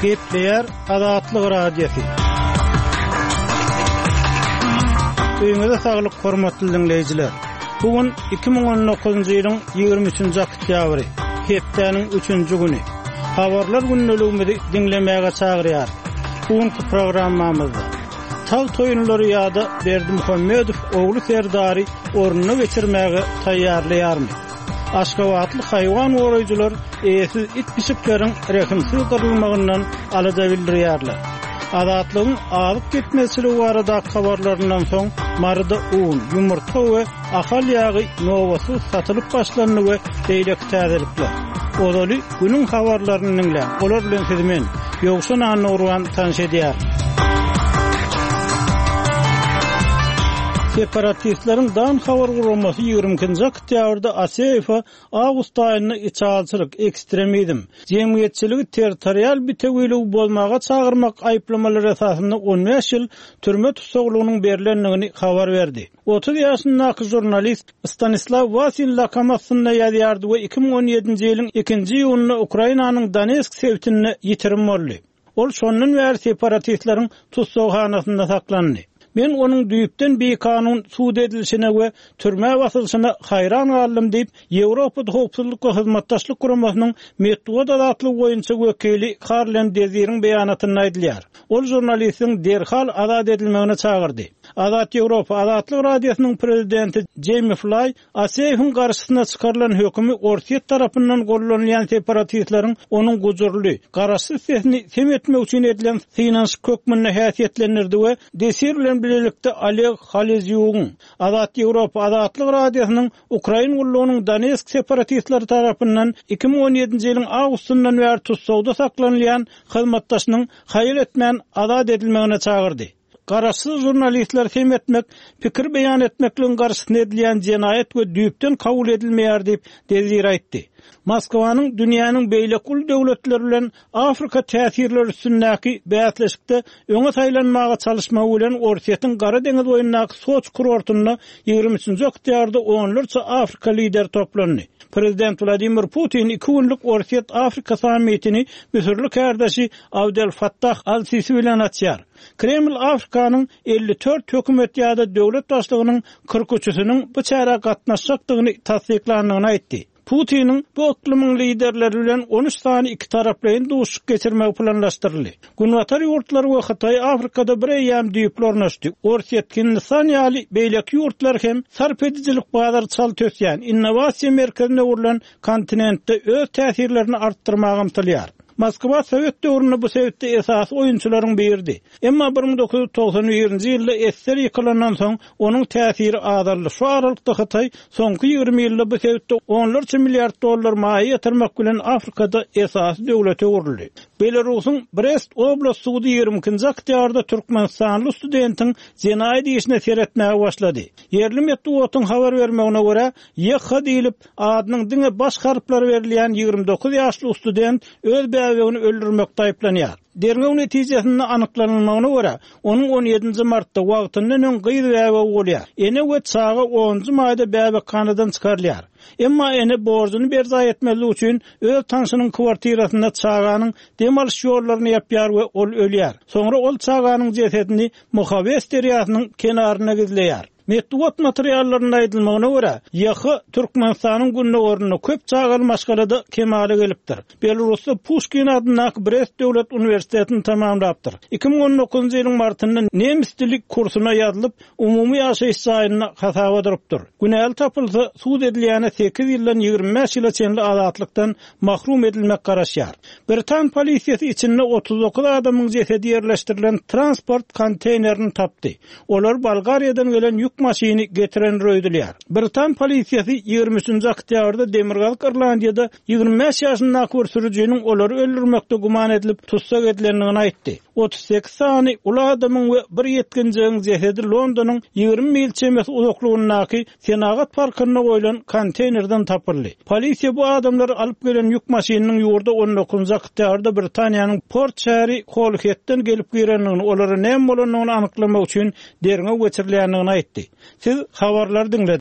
Gepleýär Azatlyk Radiosy. Öýüňize saglyk hormatly diňleýjiler. Bu gün 2019-njy ýylyň 23-nji oktýabry, hepdäniň üçünji güni. Habarlar gündeligimizi diňlemäge çagyrýarys. Bu günki programmamyzda Tagt oýunlary ýa-da Berdimuhamedow ogly Serdary ornuna geçirmäge taýýarlaýarmy? Aşgabatly haýwan goraýjylar eýesiz it-pişikleriň rehimsiz gyrylmagyndan alada bildirýärler. Azatlygyň azyk ýetmezçiligi baradaky habarlaryndan soň Maryda un, ýumurtga we Ahal ýagy nobatsyz satylyp başlandy we beýleki täzelikler. Ozaly günüň habarlaryny diňläň, olar bilen sizi men, Ýowşan Annagurban tanyş edýärin. Separatistleriň Dan habar guramasy 22-nji oktýabrda Aseýewe awgust aýynda içalyçylyk, ekstremizm, jemgyýetçiligi territorial bitewiligi bozmaga çagyrmak aýyplamalary esasynda on bäş ýyl türme tussaglygynyň berlendigini habar berdi. 30 ýaşyndaky žurnalist Stanislaw Wasin lakamy astynda ýazýardy we 2017-nji ýylyň ikinji iýunynda Ukrainanyň Donetsk sebitinde ýitirim boldy. Ol şondan bäri separatistleriň tussaghanasynda saklandy. Men onuň düýpden bikanun sud edilişine we türmä basylyşyna haýran galdym diýip, Ýewropada Howpsuzlyk we Hyzmatdaşlyk Guramasynyň metbugat azatlygy boýunça wekili Karlen Deziriň beýanatynda aýdylýar. Ol žurnalistiň derhal azat edilmegine çagyrdy. Azat Ýewropa Azatlyk Radiosynyň prezidenti Jeými Flaý Aseýewiň garşysyna çykarylan hökümi Orsýet tarapyndan gollanylýan separatistleriň onuň gujurly, garaşsyz sesini sem etmek üçin edilen synanyşyk hökmünde häsiýetlendirdi we Desir bilen bilelikde Oleg Halezýugyň, Azat Ýewropa Azatlyk Radiosynyň Ukrain gullugynyň Donetsk separatistleri tarapyndan 2017-nji ýylyň awgustyndan bäri tussagda saklanylýan hyzmatdaşynyň haýal etmän azat edilmegine çagyrdy. Garaşsyz žurnalistleri sem etmek, pikir beýan etmekligiň garşysyna edilýän jenaýat we düýpden kabul edilmeýär diýip, Dezir aýtdy. Moskwanyň dünýäniň beýleki uly döwletleri bilen Afrika täsirleri üstündäki bäsleşikde öňe saýlanmaga çalyşmagy bilen Orsýetiň Gara deňiz boýundaky Soçi kurortynda 23-nji oktýabrda onlarça Afrika lideri toplandy. Prezident Wladimir Putin iki günlük Orsýet-Afrika sammitini müsürli kärdeşi Abdel Fattah al-Sisi bilen açýar. Kreml Afrikanyň 54 hökümet ýa-da döwlet başlygynyň 43-üsiniň bu çärä gatnaşjakdygyny tassyklandygyny aýtdy. Putiniň bu yklymyň liderleri bilen on üç sany ikitaraplaýyn duşuşyk geçirmegi planlaşdyryldy. Günbatar ýurtlary we Hytaý Afrikada bir eýýäm düýpli ornaşdy. Orsýet, Hindistan ýaly beýleki ýurtlar hem sarp edijilik bazary çalt ösýän, innowasiýa merkezine öwrülen kontinentde öz täsirlerini artdyrmaga ymtylýar. Moskwa sowet döwründe bu sebitde esasy oýunçylaryň biridi. Emma 1991-nji ýylda ssr ýykylandan soň onuň täsiri azaldy. Şu aralykda Hytaý soňky 20 ýylda bu sebitde onlarça milliard dollar maýa ýatyrmak bilen Afrikada esasy döwlete öwrüldi. Belarusyň Brest oblast sudy 22-nji oktýabrda türkmenistanly studentiň jenaýat işine seretmäge başlady. Ýerli metbugatyň habar bermegine görä, YH diýlip, adynyň diňe baş harplary berilýän 29 ýaşly student öz bäbegini öldürmekde aýyplanýar. Derňew netijesinde anyklanylmagyna görä, onuň on ýedinji martda wagtyndan öň gyz bäbegi bolýar. Ene we çaga onunjy maýda bäbekhanadan çykarylýar. Emma ene borjuny berjaý etmezlik üçin öz tanşynyň kwartirasynda çaganyň dem alyş ýollaryny ýapýar we ol ölýär. Soňra ol çaganyň jesedini Mohawes derýasynyň kenarynda gizleýär. Metbugat materiallarynda aýdylmagyna görä, YH Türkmenistanyň gündogarynda köp çagaly maşgalada kemala gelipdir. Belarusda Puşkin adyndaky Brest döwlet uniwersitetini tamamlapdyr. 2019-njy ýylyň martynda nemis dili kursuna ýazylyp, umumy ýaşaýyş jaýynda hasaba durupdyr. Günäli tapylsa, sud edilýäne sekiz ýyldan 25 ýyla çenli azatlykdan mahrum edilmek garaşýar. Britan polisiýasy içinde 39 adamyň jesedi ýerleşdirilen transport konteýnerini tapdy. Olar Bolgariýadan gelen ýük maşyny getirendir öýdülýär. Britan polisiýasy 23-nji oktýabrda Demirgazyk Irlandiýada 25 ýaşyndaky bir sürüjiniň olary öldürmekde güman edilip tussag edilendigini aýtdy. 38 sany uly adamyň we bir ýetginjegiň jesedi Londonyň 20 mil çemesi uzaklygyndaky Senagat parkynda goýlan konteýnerden tapyldy. Polisiýa bu adamlary alyp gelen ýük maşynynyň ýurda on dokuzynjy oktýabrda Britaniýanyň port şäheri Holhetden gelip girendigini, olara näme bolandygyny anyklamak üçin derňew geçirilýändigini aýtdy. Siz habarlary diňlediňiz.